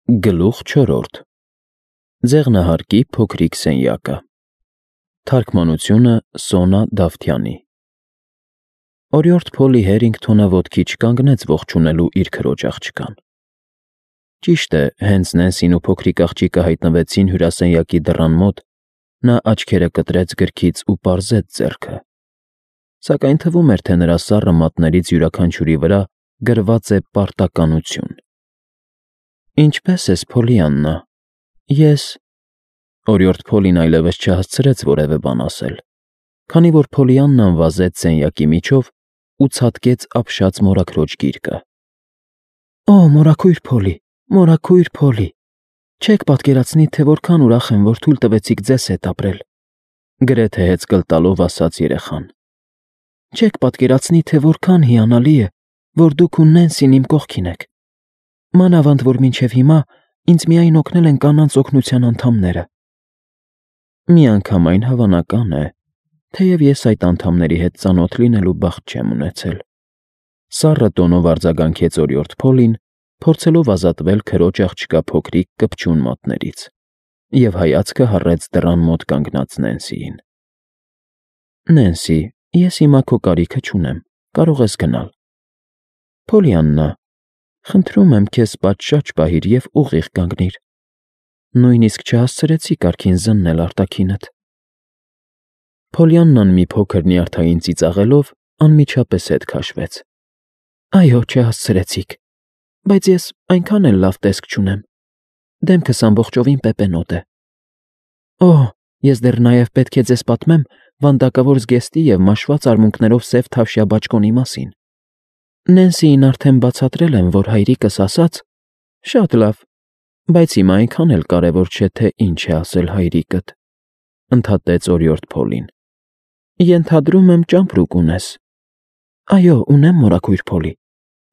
Գլուխ 4. Ձեղնահարկի փոքրիկ սենյակը։ Թարգմանությունը Սոնա Դավթյանի։ Օրիորդ Փոլի Հերինգթոնը ոտքի չկանգնեց ողջունելու իր քրոջ աղջկան։ Ճիշտ է, հենց Նենսին ու փոքրիկ աղջիկը հայտնվեցին հյուրասենյակի դռան մոտ, նա աչքերը կտրեց գրքից ու պարզեց ձեռքը։ Սակայն թվում էր, թե նրա սառը մատներից յուրաքանչյուրի վրա գրված է պարտականություն։ Ինչպե՞ս ես, Փոլիաննա։ Ես… Օրիորդ Փոլին այլևս չհասցրեց որևէ բան ասել, քանի որ Փոլիաննան վազեց սենյակի միջով ու ցատկեց ապշած մորաքրոջ գիրկը։ Օ, մորաքույր Փոլի, մորաքույր Փոլի, չեք պատկերացնի, թե որքան ուրախ եմ, որ թույլ տվեցիք ձեզ հետ ապրել, գրեթե հեծկլ տալով ասաց երեխան։ Չեք պատկերացնի, թե որքան հիանալի է, որ դուք ու Նենսին իմ կողքին եք։ Մանավանդ որ մինչև հիմա ինձ միայն օգնել են կանանց օգնության անդամները։ Միանգամայն հավանական է, թեև ես այդ անդամների հետ ծանոթ լինելու բախտ չեմ ունեցել։ Սառը տոնով արձագանքեց օրիորդ Փոլին, փորձելով ազատվել քրոջ աղջկա փոքրիկ կպչուն մատներից, և հայացքը հառեց դռան մոտ կանգնած Նենսիին։ Նենսի, ես հիմա քո կարիքը չունեմ, կարող ես գնալ։ Փոլիաննա, խնդրում եմ քեզ պատշաճ պահիր և ուղիղ կանգնիր։ Նույնիսկ չհասցրեցի կարգին զննել արտաքինդ։ Փոլիաննան մի փոքր նյարդային ծիծաղելով անմիջապես հետ քաշվեց։ Այո, չհասցրեցիք, բայց ես այնքան էլ լավ տեսք չունեմ։ Դեմքս ամբողջովին պեպենոտ է։ Օ, ես դեռ նաև պետք է ձեզ պատմեմ վանդակավոր զգեստի և մաշված արմունկներով սև թավշյա բաճկոնի մասին։ Նենսիին արդեն բացատրել եմ, որ հայրիկս ասաց… Շատ լավ, բայց հիմա այնքան էլ կարևոր չէ, թե ինչ է ասել հայրիկդ, ընդհատեց օրիորդ Փոլին։ Ենթադրում եմ ճամպրուկ ունես։ Այո, ունեմ, մորաքույր Փոլի,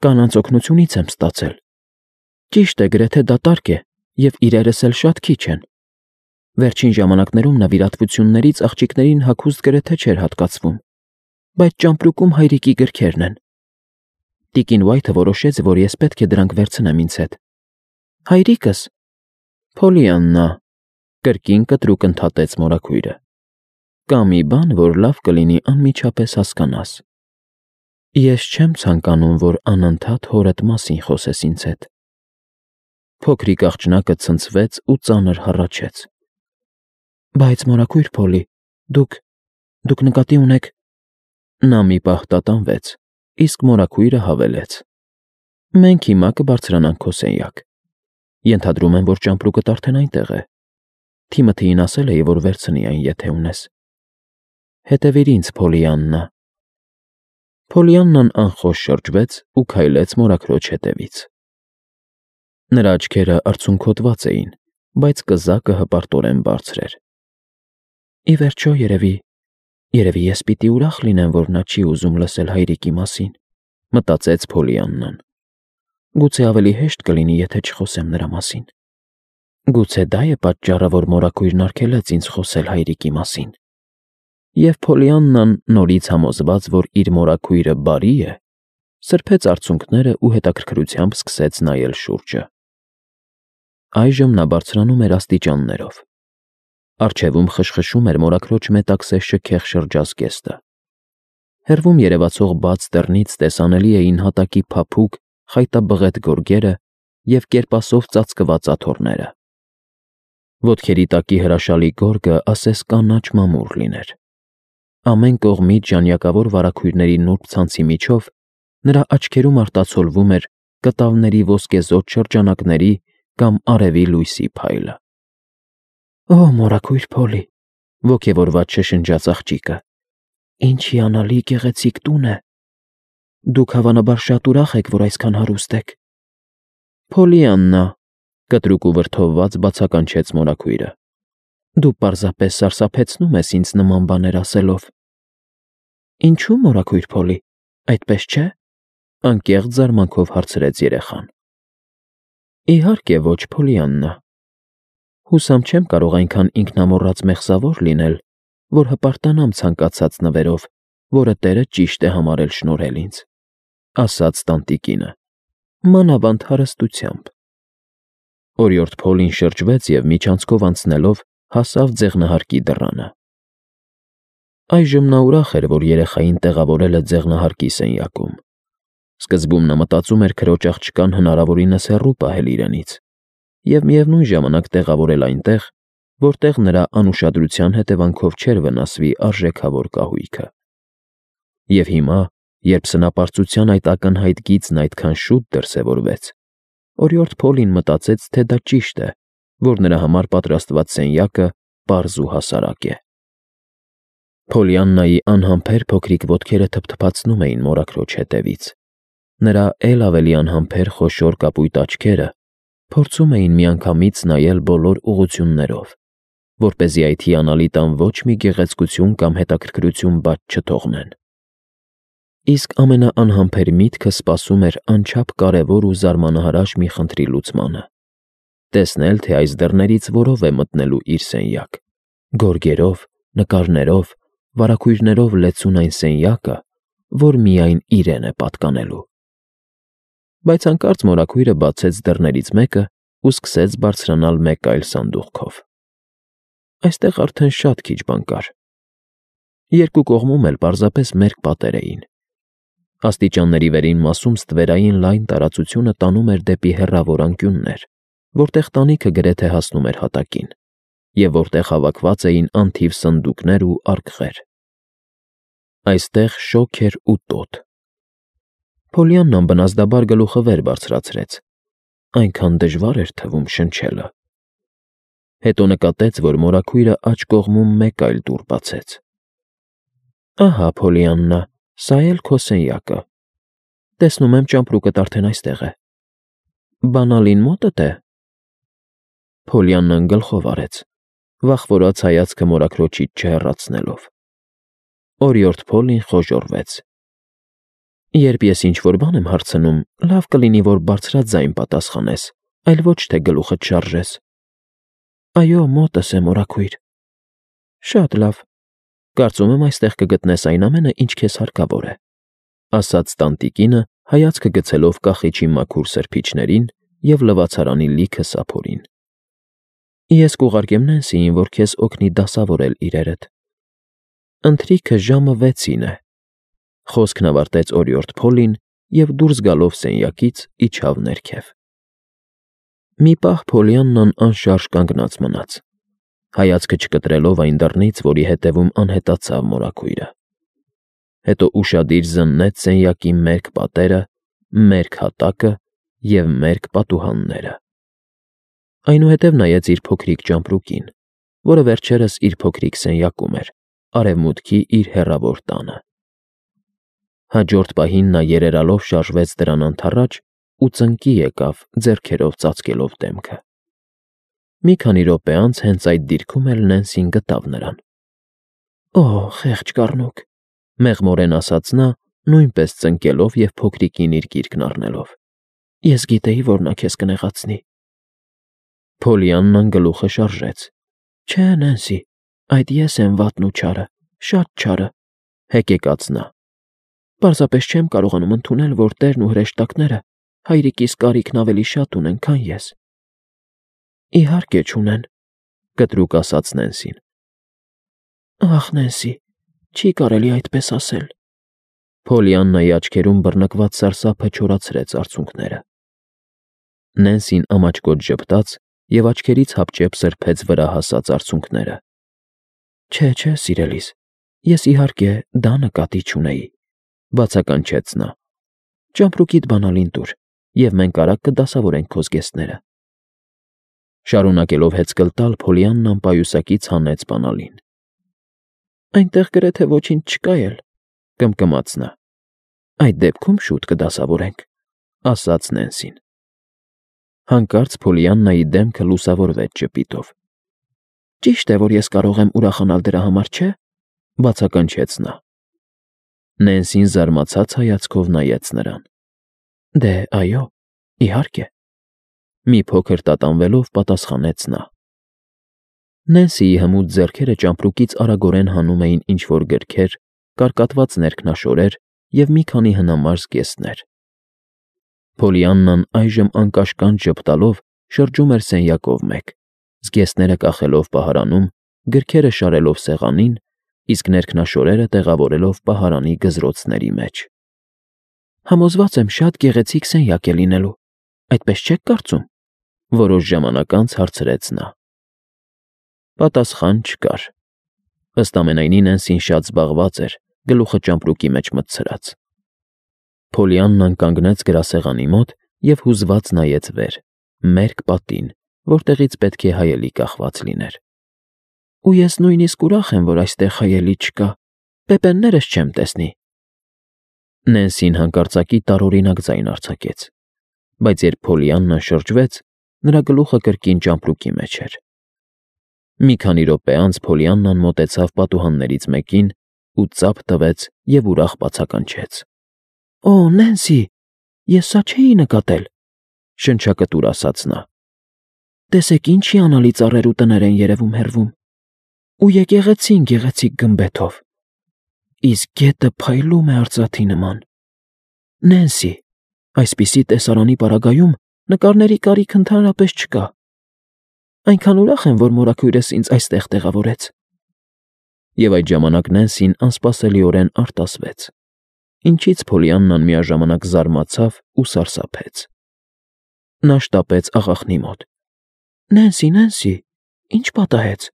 կանանց օգնությունից եմ ստացել։ Ճիշտ է, գրեթե դատարկ է, և իրերս էլ շատ քիչ են։ Վերջին ժամանակներում նվիրատվություններից աղջիկներին հագուստ գրեթե չէր հատկացվում, բայց ճամպրուկում հայրիկի գրքերն են։ Տիկին Ուայթը որոշեց, որ ես պետք է դրանք վերցնեմ ինձ հետ։ Հայրիկս… Փոլիաննա, կրկին կտրուկ ընդհատեց մորաքույրը, կա մի բան, որ լավ կլինի անմիջապես հասկանաս։ Ես չեմ ցանկանում, որ անընդհատ հորդ մասին խոսես ինձ հետ։ Փոքրիկ աղջնակը ցնցվեց ու ծանր հառաչեց։ Բայց մորաքույր Փոլի, դուք նկատի ունեք… Նա մի պահ տատանվեց, իսկ մորաքույրը հավելեց. Մենք հիմա կբարձրանանք քո սենյակ։ Ենթադրում եմ, որ ճամպրուկդ արդեն այնտեղ է։ Թիմոթեին ասել էի, որ վերցնի այն, եթե ունես։ Հետևիր ինձ, Փոլիաննա։ Փոլիաննան անխոս շրջվեց ու քայլեց մորաքրոջ հետևից։ Նրա աչքերը արցունքոտված էին, բայց կզակը հպարտորեն բարձր էր։ Ի վերջո, երևի ես պիտի ուրախ լինեմ, որ նա չի ուզում լսել հայրիկի մասին, մտածեց Փոլիաննան։ Գուցե ավելի հեշտ կլինի, եթե չխոսեմ նրա մասին։ Գուցե դա է պատճառը, որ մորաքույրն արգելեց ինձ խոսել հայրիկի մասին։ Եվ Փոլիաննան, նորից համոզված, որ իր մորաքույրը բարի է, սրբեց արցունքները ու հետաքրքրությամբ սկսեց նայել շուրջը։ Այժմ նա բարձրանում էր աստիճաններով։ Առջևում խշխշում էր մորաքրոջ մետաքսե շքեղ շրջազգեստը։ Հեռվում երևացող բաց դռնից տեսանելի էին հատակի փափուկ, խայտաբղետ գորգերը և կերպասով ծածկված աթոռները։ Ոտքերի տակի հրաշալի գորգը ասես կանաչ մամուռ լիներ։ Ամեն կողմից ժանյակավոր վարագույրների նուրբ ցանցի միջով նրա աչքերում արտացոլվում էր կտավների ոսկեզօծ շրջանակների կամ արևի լույսի փայլը։ Օ, մորաքույր Փոլի, ոգևորված շշնջաց աղջիկը, ինչ հիանալի գեղեցիկ տուն է։ Դուք հավանաբար շատ ուրախ եք, որ այսքան հարուստ եք։ Փոլիաննա, կտրուկ ու վրդովված բացականչեց մորաքույրը, դու պարզապես սարսափեցնում ես ինձ նման բաներ ասելով։ Ինչու, մորաքույր Փոլի, այդպես չէ։ Անկեղծ զարմանքով հարցրեց երեխան։ Իհարկե ոչ, Փոլիաննա։ Հուսամ չեմ կարող այնքան ինքնամոռաց մեղսավոր լինել, որ հպարտանամ ցանկացած նվերով, որը տերը ճիշտ է համարել շնորհել ինձ, ասաց տանտիկինը, մանավանդ հարստությամբ։ Օրիորդ Փոլին շրջվեց և միջանցքով անցնելով հասավ ձեղնահարկի դռանը։ Այժմ նա ուրախ էր, որ երեխային տեղավորել է ձեղնահարկի սենյակում։ Սկզբում նա մտածում էր քրոջ աղջկան հնարավորինս հեռու պահել իրենից և միևնույն ժամանակ տեղավորել այնտեղ, որտեղ նրա անուշադրության հետևանքով չէր վնասվի արժեքավոր կահույքը։ Եվ հիմա, երբ սնապարծության այդ ակնհայտ գիծն այդքան շուտ դրսևորվեց, օրիորդ Փոլին մտածեց, թե դա ճիշտ է, որ նրա համար պատրաստված սենյակը պարզ ու հասարակ է։ Փոլիաննայի անհամբեր փոքրիկ ոտքերը թփթփացնում էին մորաքրոջ հետևից։ Նրա էլ ավելի անհամբեր խոշոր կապույտ աչքերը փորձում էին միանգամից նայել բոլոր ուղղություններով, որպեսզի այդ հիանալի տան ոչ մի գեղեցկություն կամ հետաքրքրություն բաց չթողնեն։ Իսկ ամենաանհամբեր միտքը սպասում էր անչափ կարևոր ու զարմանահրաշ մի խնդրի լուծմանը՝ տեսնել, թե այս դռներից որով է մտնելու իր սենյակ՝ գորգերով, նկարներով, վարագույրներով լեցուն այն սենյակը, որ միայն իրեն է պատկանելու։ Բայց հանկարծ մորաքույրը բացեց դռներից մեկը ու սկսեց բարձրանալ մեկ այլ սանդուղքով։ Այստեղ արդեն շատ քիչ բան կար։ Երկու կողմում էլ պարզապես մերկ պատեր էին։ Աստիճանների վերին մասում ստվերային լայն տարածությունը տանում էր դեպի հեռավոր անկյուններ, որտեղ տանիքը գրեթե հասնում էր հատակին, և որտեղ հավաքված էին անթիվ սնդուկներ ու արկղեր։ Այստեղ շոգ էր ու տոտ։ Փոլիաննան բնազդաբար գլուխը վեր բարձրացրեց։ Այնքան դժվար էր թվում շնչելը։ Հետո նկատեց, որ մորաքույրը աջ կողմում մեկ այլ դուռ բացեց։ Ահա, Փոլիաննա, սա էլ քո սենյակը։ Տեսնում եմ, ճամպրուկդ արդեն այստեղ է։ Բանալին մոտդ է։ Փոլիաննան գլխով արեց, վախվորած հայացքը մորաքրոջից չհեռացնելով։ Օրիորդ Փոլին խոժոռվեց։ Երբ ես ինչ-որ բան եմ հարցնում, լավ կլինի, որ բարձրաձայն պատասխանես, այլ ոչ թե գլուխդ շարժես։ Այո, մոտս է, մորաքույր։ Շատ լավ։ Կարծում եմ, այստեղ կգտնես այն ամենը, ինչ քեզ հարկավոր է, ասաց տանտիկինը, հայացքը գցելով կախիչի մաքուր սրբիչներին և լվացարանի լիքը սափորին։ Ես կուղարկեմ Նենսիին, որ քեզ օգնի դասավորել իրերդ։ Ընթրիքը ժամը 6-ին է։ Խոսքն ավարտեց օրիորդ Փոլին և դուրս գալով սենյակից իջավ ներքև։ Մի պահ Փոլիաննան անշարժ կանգնած մնաց, հայացքը չկտրելով այն դռնից, որի հետևում անհետացավ մորաքույրը։ Հետո ուշադիր զննեց սենյակի մերկ պատերը, մերկ հատակը և մերկ պատուհանները։ Այնուհետև նայեց իր փոքրիկ ճամպրուկին, որը վերջերս իր փոքրիկ սենյակում էր, արևմուտքի իր հեռավոր տանը։ Հաջորդ պահին նա երերալով շարժվեց դրան անթառաջ ու ծնկի եկավ, ձեռքերով ծածկելով դեմքը։ Մի քանի րոպե անց հենց այդ դիրքում էլ Նենսին գտավ նրան։ Օ, խեղճ կառնուկ, մեղմորեն ասաց նա, նույնպես ծնկելով և փոքրիկին իր գիրկն առնելով։ Ես գիտեի, որ նա քեզ կնեղացնի։ Փոլիաննան գլուխը շարժեց։ Չէ, Նենսի, այդ ես եմ վատն ու չարը, շատ չարը, հեկեկաց նա։ Պարզապես չեմ կարողանում ընդունել, որ տերն ու հրեշտակները հայրիկիս կարիքն ավելի շատ ունեն, քան ես։ Իհարկե չունեն, կտրուկ ասաց Նենսին։ Ախ, Նենսի, չի կարելի այդպես ասել։ Փոլիաննայի աչքերում բռնկված սարսափը չորացրեց արցունքները։ Նենսին ամաչկոտ ժպտաց և աչքերից հապճեպ սրբեց վրա հասած արցունքները։ Չէ, սիրելիս, ես իհարկե դա նկատի չունեի, բացականչեց նա։ Ճամպրուկիդ բանալին տուր, և մենք արագ կդասավորենք քո զգեստները։ Շարունակելով հեծկլ տալ, Փոլիաննան պայուսակից հանեց բանալին։ Այնտեղ գրեթե ոչինչ չկա էլ, կմկմաց նա։ Այդ դեպքում շուտ կդասավորենք, ասաց Նենսին։ Հանկարծ Փոլիաննայի դեմքը լուսավորվեց ճպիտով։ Ճիշտ է, որ ես կարող եմ ուրախանալ դրա համար, չէ՞, բացականչեց նա։ Նենսին զարմացած հայացքով նայեց նրան։ Դե, այո, իհարկե։ Մի փոքր տատանվելով պատասխանեց նա։ Նենսիի հմուտ ձեռքերը ճամպրուկից արագորեն հանում էին ինչ-որ գրքեր, կարկատված ներքնաշորեր և մի քանի հնամար զգեստներ։ Փոլիաննան այժմ անկաշկանդ ժպտալով շրջում էր սենյակով մեկ, զգեստները կախելով պահարանում, գրքերը շարելով սեղանին, իսկ ներքնաշորերը տեղավորելով պահարանի գզրոցների մեջ։ Համոզված եմ շատ գեղեցիկ սենյակ է լինելու, այդպես չեք կարծում, որոշ ժամանակ անց հարցրեց նա։ Պատասխան չկար։ Ըստ ամենայնի Նենսին շատ զբաղված էր, գլուխը ճամպրուկի մեջ մտցրած։ Փոլիաննան կանգնեց գրասեղանի մոտ և հուզված նայեց վեր, մերկ պատին, որտեղից պետք է հայելի կախված լիներ։ Ու ես նույնիսկ ուրախ եմ, որ այստեղ հայելի չկա, պեպեններս չեմ տեսնի։ Նենսին հանկարծակի տարօրինակ ձայն արձակեց, բայց երբ Փոլիաննան շրջվեց, նրա գլուխը կրկին ճամպրուկի մեջ էր։ Մի քանի րոպե անց Փոլիաննան մոտեցավ պատուհաններից մեկին ու ծափ տվեց և ուրախ բացականչեց. Օ, Նենսի, ես սա չէի նկատել, շնչակտուր ասաց նա։ Տեսեք ինչ հիանալի ծառեր ու տներ են երևում հեռվում, ու եկեղեցին գեղեցիկ գմբեթով, իսկ գետը փայլում է արծաթի նման։ Նենսի, այսպիսի տեսարանի պարագայում նկարների կարիք ընդհանրապես չկա։ Այնքան ուրախ եմ, որ մորաքույրս ինձ այստեղ տեղավորեց։ Եվ այդ ժամանակ Նենսին անսպասելիորեն արտասվեց, ինչից Փոլիաննան միաժամանակ զարմացավ ու սարսափեց։ Նա շտապեց աղախնի մոտ։ Նենսի, ինչ պատահեց,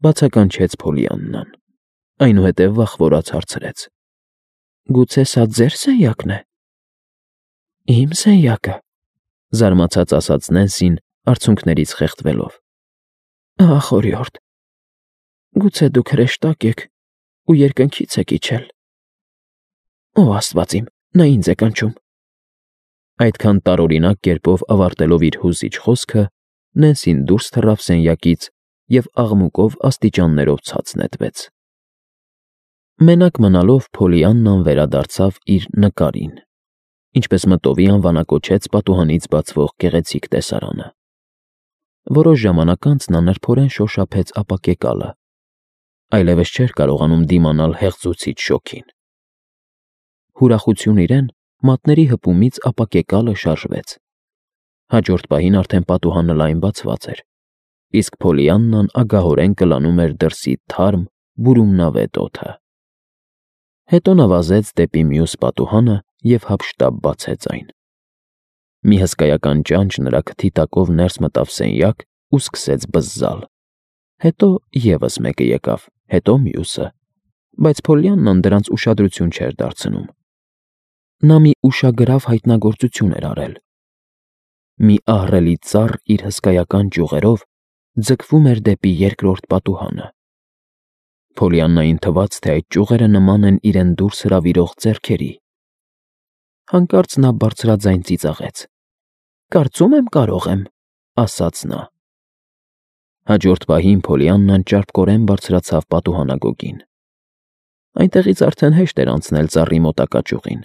բացականչեց Փոլիաննան, այնուհետև վախվորած հարցրեց. Գուցե սա ձեր սենյակն է։ Իմ սենյակը, զարմացած ասաց Նենսին, արցունքներից խեղդվելով։ Ահ, օրիորդ, գուցե դուք հրեշտակ եք ու երկնքից եք իջել։ Ո Աստված իմ, նա ինձ է կանչում։ Այդքան տարօրինակ կերպով ավարտելով իր հուզիչ խոսքը, Նենսին դուրս թռավ սենյակից և աղմուկով աստիճաններով ցած նետվեց։ Մենակ մնալով Փոլիաննան վերադարձավ իր նկարին, ինչպես մտովի անվանակոչեց պատուհանից բացվող գեղեցիկ տեսարանը։ Որոշ ժամանակ անց նա նրբորեն շոշափեց ապակեկալը, այլևս չէր կարողանում դիմանալ հեղձուցիչ շոգին։ Ուրախություն իրեն, մատների հպումից ապակեկալը շարժվեց։ Հաջորդ պահին արդեն պատուհանը լայն բացված էր, իսկ Փոլիաննան ագահորեն կլանում էր դրսի թարմ, բուրումնավետ օդը։ Հետո նա վազեց դեպի մյուս պատուհանը և հափշտապ բացեց այն։ Մի հսկայական ճանճ նրա քթի տակով ներս մտավ սենյակ ու սկսեց բզզալ։ Հետո ևս մեկը եկավ, հետո մյուսը, բայց Փոլիաննան դրանց ուշադրություն չէր դարձնում։ Նա մի ուշագրավ հայտնագործություն էր արել։ Մի ահռելի ծառ իր հսկայական ճյուղերով ձգվում էր դեպի երկրորդ պատուհանը։ Փոլիաննային թվաց, թե այդ ճյուղերը նման են իրեն դուրս հրավիրող ձեռքերի։ Հանկարծ նա բարձրաձայն ծիծաղեց. Կարծում եմ կարող եմ, ասաց նա։ Հաջորդ պահին Փոլիաննան ճարպկորեն բարձրացավ պատուհանագոգին։ Այնտեղից արդեն հեշտ էր անցնել ծառի մոտակա ճյուղին։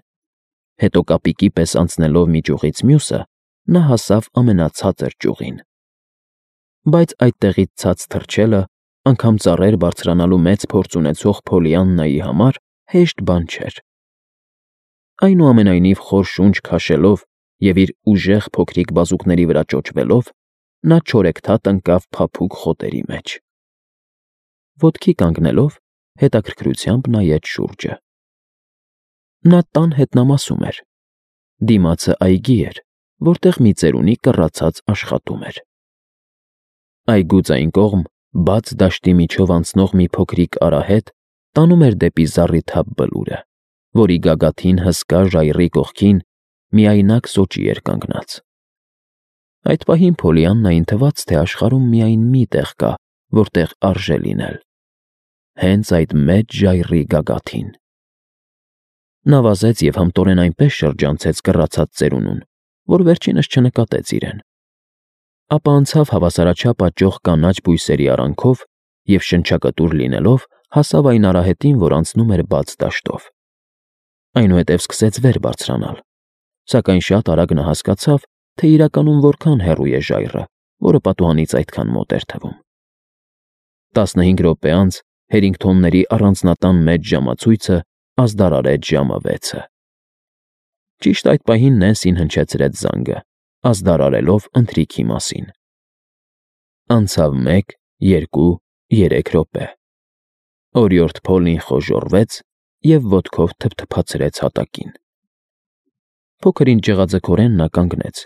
Հետո կապիկի պես անցնելով մի ճյուղից մյուսը, նա հասավ ամենացածր ճյուղին։ Բայց այդտեղից ցած թռչելը, անգամ ծառեր բարձրանալու մեծ փորձ ունեցող Փոլիաննայի համար հեշտ բան չէր։ Այնուամենայնիվ խոր շունչ քաշելով և իր ուժեղ փոքրիկ բազուկների վրա ճոճվելով, նա չորեքթաթ ընկավ փափուկ խոտերի մեջ։ Ոտքի կանգնելով, հետաքրքրությամբ նայեց շուրջը։ Նա տան հետնամասում էր։ Դիմացը այգի էր, որտեղ մի ծերունի կռացած աշխատում էր։ Այգուց այն կողմ, բաց դաշտի միջով անցնող մի փոքրիկ արահետ տանում էր դեպի զառիթափ բլուրը, որի գագաթին հսկա ժայռի կողքին միայնակ սոճի էր կանգնած։ Այդ պահին Փոլիաննային թվաց, թե աշխարհում միայն մի տեղ կա, որտեղ արժե լինել։ Հենց այդ մեծ ժայռի գագաթին։ Նա վազեց և հմտորեն այնպես շրջանցեց կռացած ծերունուն, որ վերջինս չնկատեց իրեն։ Ապա անցավ հավասարաչափ աճող կանաչ բույսերի արանքով և շնչակտուր լինելով հասավ այն արահետին, որ անցնում էր բաց դաշտով։ Այնուհետև սկսեց վեր բարձրանալ, սակայն շատ արագ նա հասկացավ, թե իրականում որքան հեռու է ժայռը, որը պատուհանից այդքան մոտ էր թվում։ 15 րոպե անց Հերինգթոնների առանձնատան մեծ ժամացույցը ազդարարեց ժամը 6-ը։ Ճիշտ այդ պահին Նենսին հնչեցրեց զանգը, ազդարարելով ընթրիքի մասին։ Անցավ 1, 2, 3 րոպե։ Օրիորդ Փոլին խոժոռվեց և ոտքով թփթփացրեց հատակին։ Փոքր-ինչ ջղաձգորեն նա կանգնեց,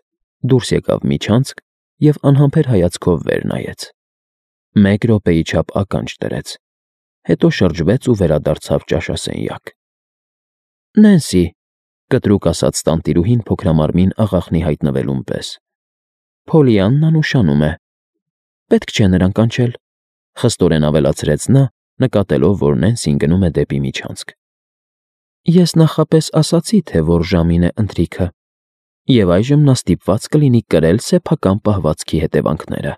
դուրս եկավ միջանցք և անհամբեր հայացքով վեր նայեց։ 1 րոպեի չափ ականջ դրեց, հետո շրջվեց ու վերադարձավ ճաշասենյակ։ «Նենսի», կտրուկ ասաց տանտիրուհին փոքրամարմին աղախնի հայտնվելուն պես։ «Փոլիաննան ուշանում է։ Պետք չէ նրան կանչել», խստորեն ավելացրեց նա, նկատելով, որ Նենսին գնում է դեպի միջանցք։ «Ես նախապես ասացի, թե որ ժամին է ընթրիքը, և այժմ նա ստիպված կլինի կրել սեփական պահվածքի հետևանքները։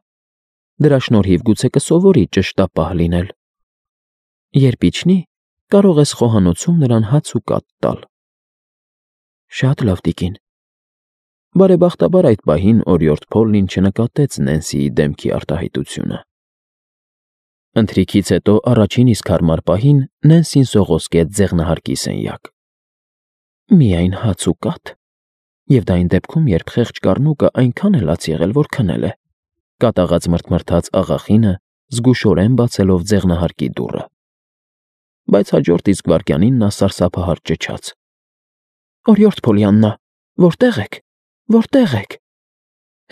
Դրա շնորհիվ գուցե կսովորի ճշտապահ լինել։ Երբ իջնի, կարող ես խոհանոցում նրան հաց ու կաթ տալ»։ «Շատ լավ, տիկին»։ Բարեբախտաբար այդ պահին օրիորդ Փոլլին չնկատեց Նենսիի դեմքի արտահայտությունը։ Ընթրիքից հետո առաջին իսկ հարմար պահին Նենսին սողոսկեց ձեղնահարկի սենյակ։ «Միայն հաց ու կաթ, և դա այն դեպքում, երբ խեղճ կառնուկը այնքան է լաց եղել, որ քնել է», կատաղած մռթմռթաց աղախինը, զգուշորեն բացելով ձեղնահարկի դուռը։ Բայց հաջորդ իսկ վայրկյանին նա սարսափահար ճչաց. «Օրիորդ Փոլիաննա, որտե՞ղ եք, որտե՞ղ եք»։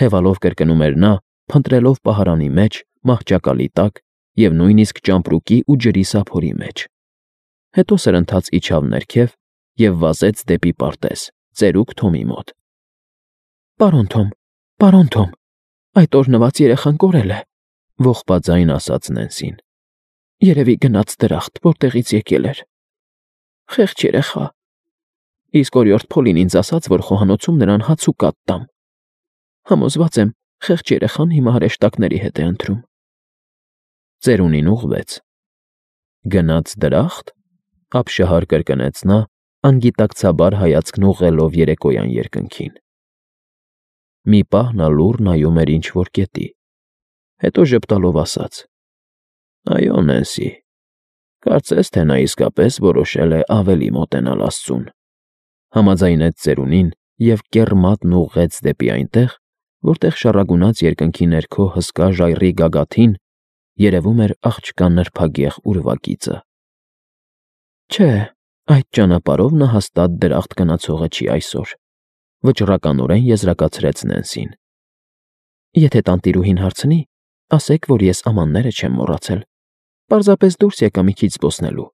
Հևալով կրկնում էր նա, փնտրելով պահարանի մեջ, մահճակալի տակ և նույնիսկ ճամպրուկի ու ջրի սափորի մեջ։ Հետո սրընթաց իջավ ներքև և վազեց դեպի պարտեզ, ծերուկ Թոմի մոտ։ Պարոն Թոմ, այդ օրհնված երեխան կորել է», ողբաձայն ասաց Նենսին։ «Երևի գնաց դրախտ, որտեղից եկել էր։ Խեղճ երեխա։ Իսկ օրիորդ Փոլին ինձ ասաց, որ խոհանոցում նրան հաց ու կաթ տամ։ Համոզված եմ, խեղճ երեխան հիմա հրեշտակների հետ է ընթրում»։ Ծերունին ուղղվեց։ «Գնաց դրախտ», ապշահար կրկնեց նա, անգիտակցաբար հայացքն ուղղելով երեկոյան երկնքին։ Մի պահ նա լուռ նայում էր ինչ-որ կետի, հետո ժպտալով ասաց. «Այո, Նենսի, կարծես թե նա իսկապես որոշել է ավելի մոտենալ Աստծուն», համաձայնեց ծերունին և կեռմատն ուղղեց դեպի այնտեղ, որտեղ շառագունած երկնքի ներքո հսկա ժայռի գագաթին երևում էր աղջկա նրբագեղ ուրվագիծը։ «Չէ, այդ ճանապարհով նա հաստատ դրախտ գնացողը չի այսօր», վճռականորեն եզրակացրեց Նենսին։ «Եթե տանտիրուհին հարցնի, ասեք, որ ես ամանները չեմ մոռացել, պարզապես դուրս եկա մի քիչ զբոսնելու»։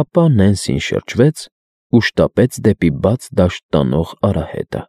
Ապա Նենսին շրջվեց ու շտապեց դեպի բաց դաշտ տանող արահետը։